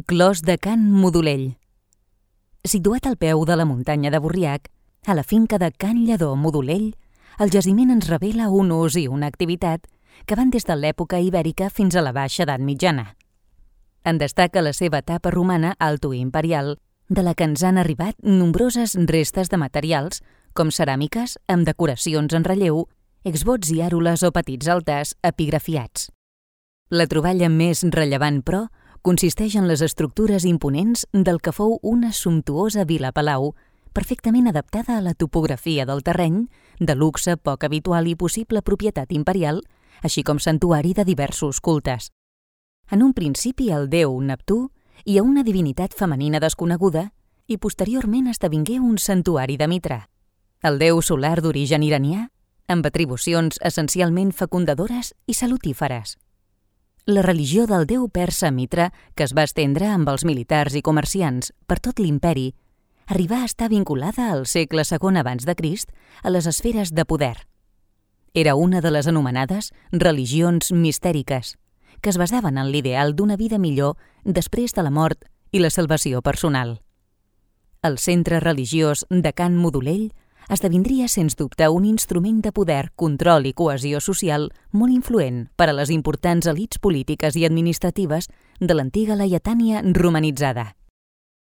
Clos de Can Modolell. Situat al peu de la muntanya de Borriac, a la finca de Can Lledó Modolell, el jaciment ens revela un ús i una activitat que van des de l'època ibèrica fins a la baixa edat mitjana. En destaca la seva etapa romana altoimperial, de la que ens han arribat nombroses restes de materials, com ceràmiques amb decoracions en relleu, exvots i àrules o petits altars epigrafiats. La troballa més rellevant, però, consisteix en les estructures imponents del que fou una sumptuosa vila-palau, perfectament adaptada a la topografia del terreny, de luxe poc habitual i possible propietat imperial, així com santuari de diversos cultes. En un principi el déu Neptú i a una divinitat femenina desconeguda, i posteriorment esdevingué un santuari de Mitra, el déu solar d'origen iranià, amb atribucions essencialment fecundadores i salutíferes. La religió del déu persa Mitra, que es va estendre amb els militars i comerciants per tot l'imperi, arribà a estar vinculada al segle II abans de Crist a les esferes de poder. Era una de les anomenades religions mistèriques, que es basaven en l'ideal d'una vida millor després de la mort i la salvació personal. El centre religiós de Can Modolell esdevindria, sens dubte, un instrument de poder, control i cohesió social molt influent per a les importants elits polítiques i administratives de l'antiga Laietània romanitzada.